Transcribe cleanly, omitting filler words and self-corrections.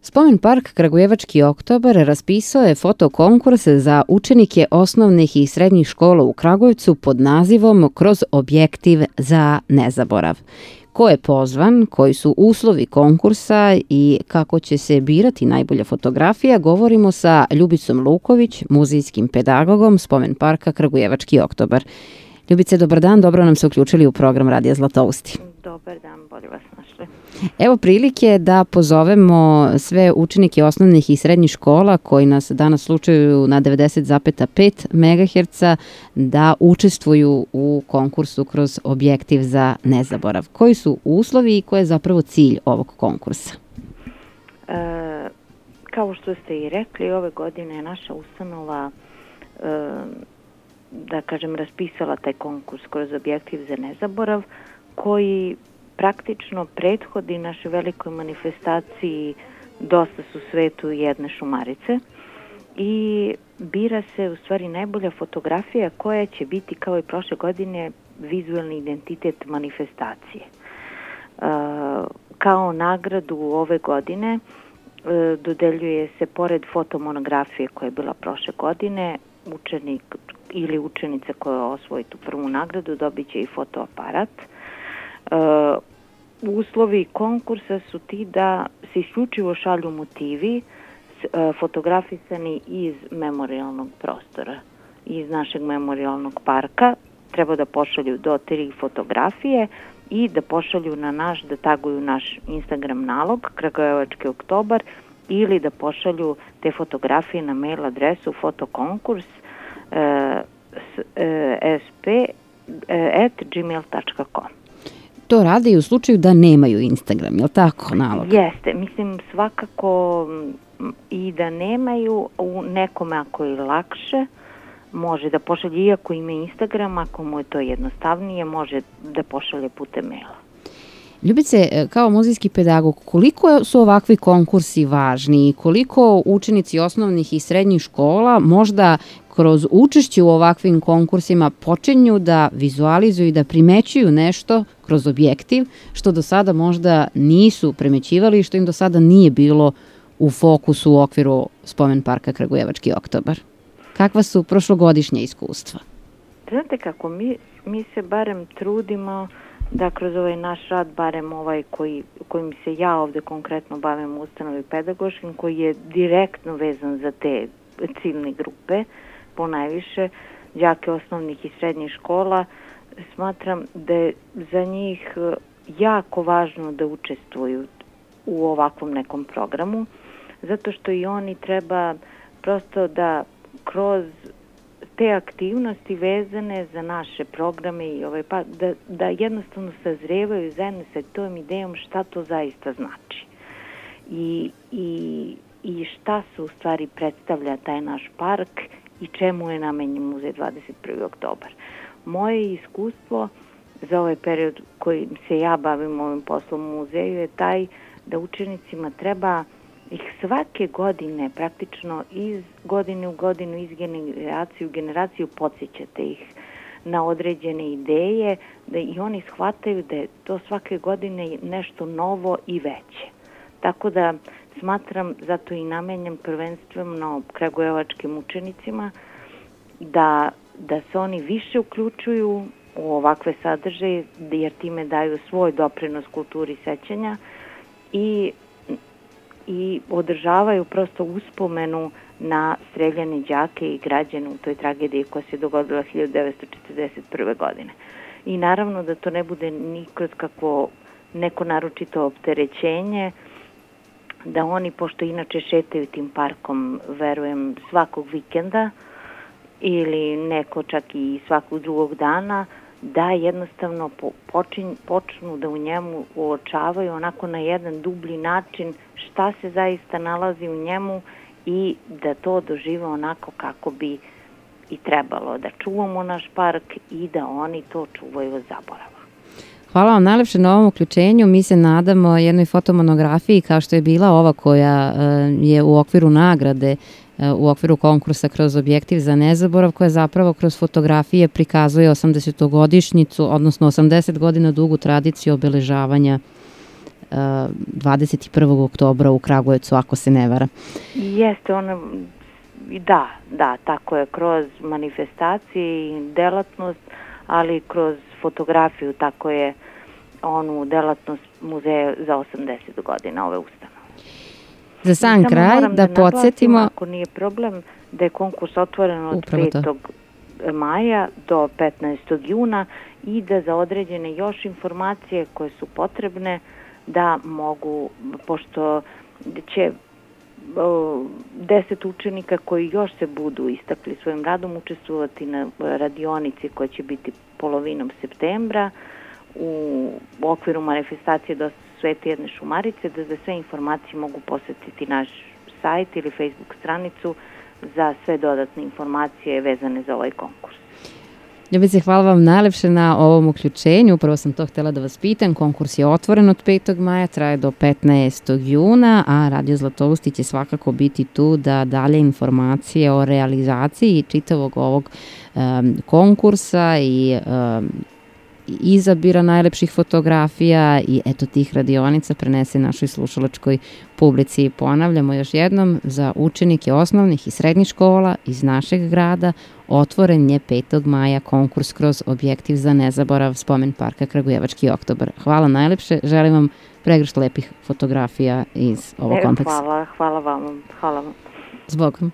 Spomen park Kragujevački oktobar raspisao je fotokonkurs za učenike osnovnih i srednjih škola u Kragujevcu pod nazivom Kroz objektiv za nezaborav. Ko je pozvan, koji su uslovi konkursa i kako će se birati najbolja fotografija, govorimo sa Ljubicom Luković, muzejskim pedagogom Spomen parka Kragujevački oktobar. Ljubice, dobar dan, dobro nam se uključili u program Radija Zlatousti. Dobar dan, bolje vas našli. Evo prilike da pozovemo sve učenike osnovnih i srednjih škola koji nas danas slučaju na 90,5 MHz da učestvuju u konkursu Kroz objektiv za nezaborav. Koji su uslovi i koji je zapravo cilj ovog konkursa? Kao što ste i rekli, ove godine je naša ustanova raspisala taj konkurs Kroz objektiv za nezaborav, koji praktično prethodi našoj velikoj manifestaciji Dosta su svetu jedne šumarice i bira se u stvari najbolja fotografija koja će biti kao i prošle godine vizuelni identitet manifestacije. Kao nagradu ove godine dodeljuje se pored fotomonografije koja je bila prošle godine, učenik ili učenica koja osvoji tu prvu nagradu dobit će i fotoaparat. Uslovi konkursa su ti da se isključivo šalju motivi fotografisani iz memorijalnog prostora, iz našeg memorijalnog parka. Treba da pošalju do 3 fotografije i da pošalju na da taguju naš Instagram nalog Kragujevački oktobar ili da pošalju te fotografije na mail adresu fotokonkurs@gmail.com. To rade i u slučaju da nemaju Instagram, je li tako nalog? Jeste, mislim svakako i da nemaju, u nekome ako je lakše može da pošalje, iako ima Instagram, ako mu je to jednostavnije, može da pošalje putem maila. Ljubice, kao muzejski pedagog, koliko su ovakvi konkursi važni i koliko učenici osnovnih i srednjih škola možda kroz učešće u ovakvim konkursima počinju da vizualizuju i da primećuju nešto kroz objektiv, što do sada možda nisu primećivali i što im do sada nije bilo u fokusu u okviru Spomen parka Kragujevački oktobar? Kakva su prošlogodišnja iskustva? Znate kako, mi se barem trudimo da kroz ovaj naš rad, barem ovaj kojim se ja ovde konkretno bavim u ustanovi pedagoškim, koji je direktno vezan za te ciljne grupe, ponajviše đake osnovnih i srednjih škola, smatram da je za njih jako važno da učestvuju u ovakvom nekom programu, zato što i oni treba prosto da kroz te aktivnosti vezane za naše programe i da jednostavno sazrevaju zajedno sa tom idejom šta to zaista znači i šta se u stvari predstavlja taj naš park i čemu je namenjen muzej 21. oktobar. Moje iskustvo za ovaj period kojim se ja bavim ovim poslom u muzeju je taj da učenicima treba ih svake godine, praktično iz godine u godinu, iz generacije u generaciju podsjećate ih na određene ideje, da i oni shvataju da je to svake godine nešto novo i veće. Tako da smatram, zato i namenjam prvenstveno kragujevačkim učenicima, da se oni više uključuju u ovakve sadržaje, jer time daju svoj doprinos kulturi sećanja i održavaju prosto uspomenu na streljane đake i građane u toj tragediji koja se dogodila 1941. godine. I naravno da to ne bude nikad kako neko naročito opterećenje, da oni, pošto inače šetaju tim parkom, verujem, svakog vikenda ili neko čak i svakog drugog dana, da jednostavno počnu da u njemu uočavaju onako na jedan dublji način šta se zaista nalazi u njemu i da to dožive onako kako bi i trebalo, da čuvamo naš park i da oni to čuvaju od zaborava. Hvala vam najlepše na ovom uključenju. Mi se nadamo jednoj fotomonografiji kao što je bila ova koja je u okviru nagrade, u okviru konkursa Kroz objektiv za nezaborav, koja zapravo kroz fotografije prikazuje 80-godišnjicu, odnosno 80 godina dugu tradiciju obeležavanja 21. oktobra u Kragujevcu, ako se ne vara. Jeste, da, tako je, kroz manifestacije i delatnost, ali kroz fotografiju, tako je onu delatnost muzeja za 80 godina ove ustanove. Za sam kraj da podsjetimo... Ako nije problem, da je konkurs otvoren od 5. maja do 15. juna i da za određene još informacije koje su potrebne da mogu, pošto će 10 učenika koji još se budu istakli svojim radom učestvovati na radionici koja će biti polovinom septembra u okviru manifestacije do Svete jedne šumarice, da za sve informacije mogu posetiti naš sajt ili Facebook stranicu za sve dodatne informacije vezane za ovaj konkurs. Ljubice, hvala vam najlepše na ovom uključenju. Upravo sam to htjela da vas pitam. Konkurs je otvoren od 5. maja, traje do 15. juna, a Radio Zlatousti će svakako biti tu da dalje informacije o realizaciji čitavog ovog konkursa i izabira najlepših fotografija i eto tih radionica prenese našoj slušalačkoj publici. Ponavljamo još jednom, za učenike osnovnih i srednjih škola iz našeg grada otvoren je 5. maja konkurs kroz objektiv za nezaborav Spomen parka Kragujevački oktobar. Hvala najlepše, želim vam pregršt lepih fotografija iz ovog kompleksa. Hvala vam. Zbogom.